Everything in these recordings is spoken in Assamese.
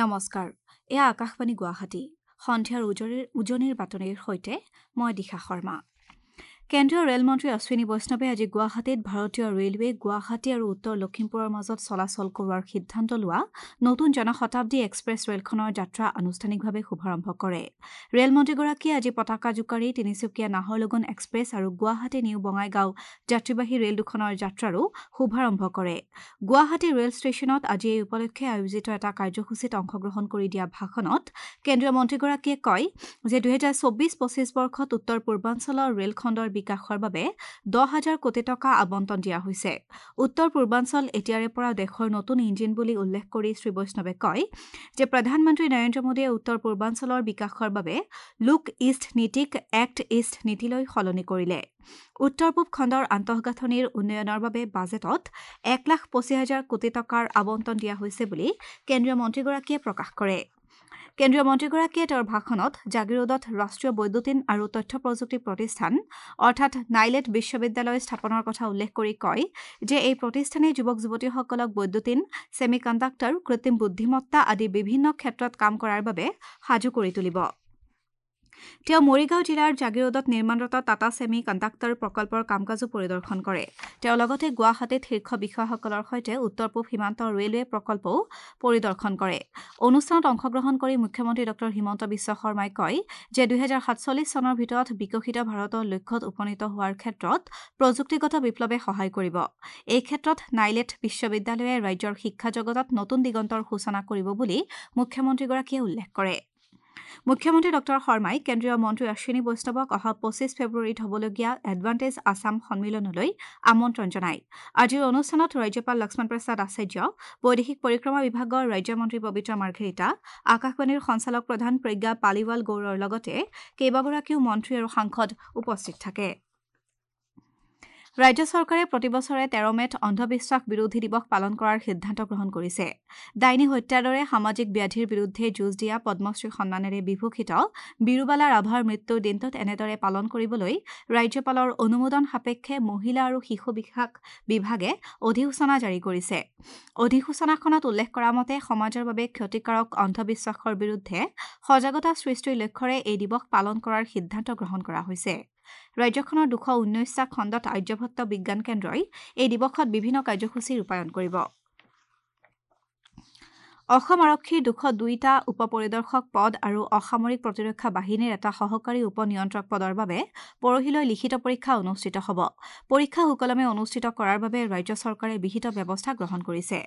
নমস্কাৰ, এয়া আকাশবাণী গুৱাহাটী। সন্ধিয়াৰ উজনিৰ বাতৰিৰ সৈতে মই দিশা শৰ্মা। কেন্দ্ৰীয় ৰেলমন্ত্ৰী অশ্বিনী বৈষ্ণৱে আজি গুৱাহাটীত ভাৰতীয় ৰেলৱে গুৱাহাটী আৰু উত্তৰ লখিমপুৰৰ মাজত চলাচল কৰোৱাৰ সিদ্ধান্ত লোৱা নতুন জনশতাব্দী এক্সপ্ৰেছ ৰেলখনৰ যাত্ৰা আনুষ্ঠানিকভাৱে শুভাৰম্ভ কৰে। ৰেলমন্ত্ৰীগৰাকীয়ে আজি পতাকা জোকাৰি তিনিচুকীয়া নাহৰলগুন এক্সপ্ৰেছ আৰু গুৱাহাটী নিউ বঙাইগাঁও যাত্ৰীবাহী ৰেল দুখনৰ যাত্ৰাৰো শুভাৰম্ভ কৰে। গুৱাহাটী ৰেল ষ্টেচনত আজি এই উপলক্ষে আয়োজিত এটা কাৰ্যসূচীত অংশগ্ৰহণ কৰি দিয়া ভাষণত কেন্দ্ৰীয় মন্ত্ৰীগৰাকীয়ে কয় যে 2024-25 বৰ্ষত উত্তৰ পূৰ্বাঞ্চলৰ ৰেলখণ্ডৰ বিকাশৰ বাবে 10,000 কোটি টকা আবণ্টন দিয়া হৈছে। উত্তৰ পূৰ্বাঞ্চল এতিয়াৰে পৰা দেশৰ নতুন ইঞ্জিন বুলি উল্লেখ কৰি শ্ৰী বৈষ্ণৱে কয় যে প্ৰধানমন্ত্ৰী নৰেন্দ্ৰ মোদীয়ে উত্তৰ পূৰ্বাঞ্চলৰ বিকাশৰ বাবে লুক ইষ্ট নীতিক এক্ট ইষ্ট নীতিলৈ সলনি কৰিলে। উত্তৰ পূব খণ্ডৰ আন্তঃগাঁথনিৰ উন্নয়নৰ বাবে বাজেটত 1,25,000 কোটি টকাৰ আবণ্টন দিয়া হৈছে বুলি কেন্দ্ৰীয় মন্ত্ৰীগৰাকীয়ে প্ৰকাশ কৰে। কেন্দ্ৰীয় মন্ত্ৰীগৰাকীয়ে তেওঁৰ ভাষণত জাগিৰোডত ৰাষ্ট্ৰীয় বৈদ্যুতিন আৰু তথ্য প্ৰযুক্তি প্ৰতিষ্ঠান অৰ্থাৎ নাইলেট বিশ্ববিদ্যালয় স্থাপনৰ কথা উল্লেখ কৰি কয় যে এই প্ৰতিষ্ঠানে যুৱক যুৱতীসকলক বৈদ্যুতিন, ছেমি কণ্ডাক্টৰ, কৃত্ৰিম বুদ্ধিমত্তা আদি বিভিন্ন ক্ষেত্ৰত কাম কৰাৰ বাবে সাজু কৰি তুলিব। তেওঁ মৰিগাঁও জিলাৰ জাগিৰোডত নিৰ্মাণৰত টাটা ছেমি কণ্ডাক্টৰ প্ৰকল্পৰ কাম-কাজো পৰিদৰ্শন কৰে। তেওঁ লগতে গুৱাহাটীত শীৰ্ষ বিষয়াসকলৰ সৈতে উত্তৰ পূব সীমান্ত ৰেলৱে প্ৰকল্পও পৰিদৰ্শন কৰে। অনুষ্ঠানত অংশগ্ৰহণ কৰি মুখ্যমন্ত্ৰী ডঃ হিমন্ত বিশ্ব শৰ্মাই কয় যে 2047 চনৰ ভিতৰত বিকশিত ভাৰতৰ লক্ষ্যত উপনীত হোৱাৰ ক্ষেত্ৰত প্ৰযুক্তিগত বিপ্লৱে সহায় কৰিব। এই ক্ষেত্ৰত নাইলেট বিশ্ববিদ্যালয়ে ৰাজ্যৰ শিক্ষা জগতত নতুন দিগন্তৰ সূচনা কৰিব বুলি মুখ্যমন্ত্ৰীগৰাকীয়ে উল্লেখ কৰে। মুখ্যমন্ত্ৰী ডঃ শৰ্মাই কেন্দ্ৰীয় মন্ত্ৰী অশ্বিনী বৈষ্ণৱক অহা 25 ফেব্ৰুৱাৰীত হ'বলগীয়া এডভান্টেজ আছাম সন্মিলনলৈ আমন্ত্ৰণ জনায়। আজিৰ অনুষ্ঠানত ৰাজ্যপাল লক্ষ্মণ প্ৰসাদ আচাৰ্য, বৈদেশিক পৰিক্ৰমা বিভাগৰ ৰাজ্যমন্ত্ৰী পবিত্ৰ মাৰ্ঘেৰিটা, আকাশবাণীৰ সঞ্চালক প্ৰধান প্ৰজ্ঞা পালিৱাল গৌৰৰ লগতে কেইবাগৰাকীও মন্ত্ৰী আৰু সাংসদ উপস্থিত থাকে। ৰাজ্য চৰকাৰে প্ৰতিবছৰে 13 মে'ত অন্ধবিশ্বাস বিৰোধী দিৱস পালন কৰাৰ সিদ্ধান্ত গ্ৰহণ কৰিছে। ডাইনী হত্যাৰ দৰে সামাজিক ব্যাধিৰ বিৰুদ্ধে যুঁজ দিয়া পদ্মশ্ৰী সন্মানেৰে বিভূষিত বীৰুবালা ৰাভাৰ মৃত্যুৰ দিনটোত এনেদৰে পালন কৰিবলৈ ৰাজ্যপালৰ অনুমোদন সাপেক্ষে মহিলা আৰু শিশু বিকাশ বিভাগে অধিসূচনা জাৰি কৰিছে। অধিসূচনাখনত উল্লেখ কৰা মতে সমাজৰ বাবে ক্ষতিকাৰক অন্ধবিশ্বাসৰ বিৰুদ্ধে সজাগতা সৃষ্টিৰ লক্ষ্যৰে এই দিৱস পালন কৰাৰ সিদ্ধান্ত গ্ৰহণ কৰা হৈছে। ৰাজ্যখনৰ 219টা খণ্ডত আৰ্যভট্ট বিজ্ঞান কেন্দ্ৰই এই দিৱসত বিভিন্ন কাৰ্যসূচী ৰূপায়ণ কৰিব। অসম আৰক্ষীৰ 202টা উপ পৰিদৰ্শক পদ আৰু অসামৰিক প্ৰতিৰক্ষা বাহিনীৰ এটা সহকাৰী উপ নিয়ন্ত্ৰক পদৰ বাবে পৰহিলৈ লিখিত পৰীক্ষা অনুষ্ঠিত হ'ব। পৰীক্ষা সুকলমে অনুষ্ঠিত কৰাৰ বাবে ৰাজ্য চৰকাৰে বিহিত ব্যৱস্থা গ্ৰহণ কৰিছে।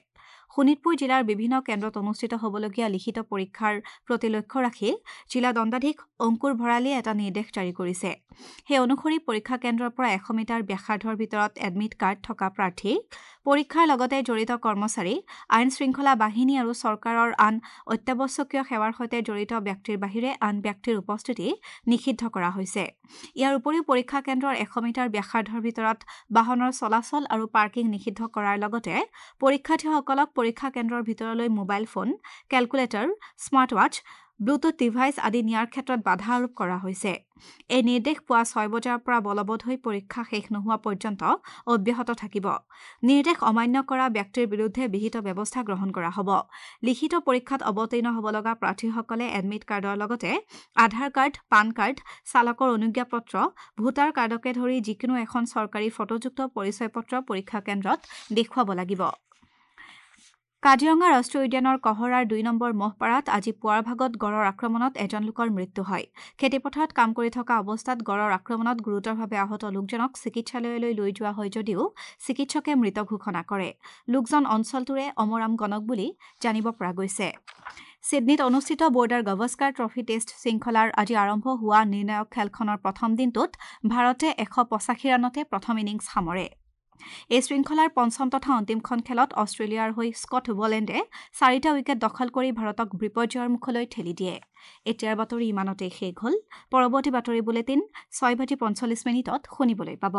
শোণিতপুৰ জিলাৰ বিভিন্ন কেন্দ্ৰত অনুষ্ঠিত হ'বলগীয়া লিখিত পৰীক্ষাৰ প্ৰতি লক্ষ্য ৰাখি জিলা দণ্ডাধীশ অংকুৰ ভৰালীয়ে এটা নিৰ্দেশ জাৰি কৰিছে। সেই অনুসৰি পৰীক্ষা কেন্দ্ৰৰ পৰা 100 মিটাৰ ব্যাসাৰ্ধৰ ভিতৰত এডমিট কাৰ্ড থকা প্ৰাৰ্থী, পৰীক্ষাৰ লগতে জড়িত কৰ্মচাৰী, আইন শৃংখলা বাহিনী আৰু চৰকাৰৰ আন অত্যাৱশ্যকীয় সেৱাৰ সৈতে জড়িত ব্যক্তিৰ বাহিৰে আন ব্যক্তিৰ উপস্থিতি নিষিদ্ধ কৰা হৈছে। ইয়াৰ উপৰিও পৰীক্ষা কেন্দ্ৰৰ 100 মিটাৰ ব্যাসাৰ্ধৰ ভিতৰত বাহনৰ চলাচল আৰু পাৰ্কিং নিষিদ্ধ কৰাৰ লগতে পৰীক্ষাৰ্থীসকলক পৰীক্ষা কেন্দ্ৰৰ ভিতৰলৈ mobile phone, calculator, smart watch, Bluetooth device আদি নিয়াৰ ক্ষেত্ৰত বাধা আৰোপ কৰা হৈছে। এই নিৰ্দেশ পুৱা 6 বজাৰ পৰা বলবৎ হৈ পৰীক্ষা শেষ নোহোৱা পৰ্যন্ত অব্যাহত থাকিব। নিৰ্দেশ অমান্য কৰা ব্যক্তিৰ বিৰুদ্ধে বিহিত ব্যৱস্থা গ্ৰহণ কৰা হ'ব। লিখিত পৰীক্ষাত অৱতীৰ্ণ হ'ব লগা প্ৰাৰ্থীসকলে এডমিট কাৰ্ডৰ লগতে আধাৰ কাৰ্ড, পান কাৰ্ড, চালকৰ অনুজ্ঞাপত্ৰ, ভোটাৰ কাৰ্ডকে ধৰি যিকোনো এখন চৰকাৰী ফটোযুক্ত পৰিচয় পত্ৰ পৰীক্ষা কেন্দ্ৰত দেখুৱাব লাগিব। কাজিৰঙা ৰাষ্ট্ৰীয় উদ্যানৰ কহৰাৰ 2 নম্বৰ মহপাৰাত আজি পুৱাৰ ভাগত গড়ৰ আক্ৰমণত এজন লোকৰ মৃত্যু হয়। খেতিপথাৰত কাম কৰি থকা অৱস্থাত গড়ৰ আক্ৰমণত গুৰুতৰভাৱে আহত লোকজনক চিকিৎসালয়লৈ লৈ যোৱা হয় যদিও চিকিৎসকে মৃত ঘোষণা কৰে। লোকজন অঞ্চলটোৰে অমৰাম গণক বুলি জানিব পৰা গৈছে। ছিডনীত অনুষ্ঠিত বৰ্ডাৰ গাভাস্কাৰ ট্ৰফী টেষ্ট শৃংখলাৰ আজি আৰম্ভ হোৱা নিৰ্ণায়ক খেলখনৰ প্ৰথম দিনটোত ভাৰতে 185 ৰানতে প্ৰথম ইনিংছ সামৰে। এই শৃংখলাৰ পঞ্চম তথা অন্তিমখন খেলত অষ্ট্ৰেলিয়াৰ হৈ স্কট বলেণ্ডে 4টা উইকেট দখল কৰি ভাৰতক বিপৰ্যয়ৰ মুখলৈ ঠেলি দিয়ে। এতিয়াৰ বাতৰি ইমানতে শেষ হ'ল। পৰৱৰ্তী বাতৰি বুলেটিন 6:45 শুনিবলৈ পাব।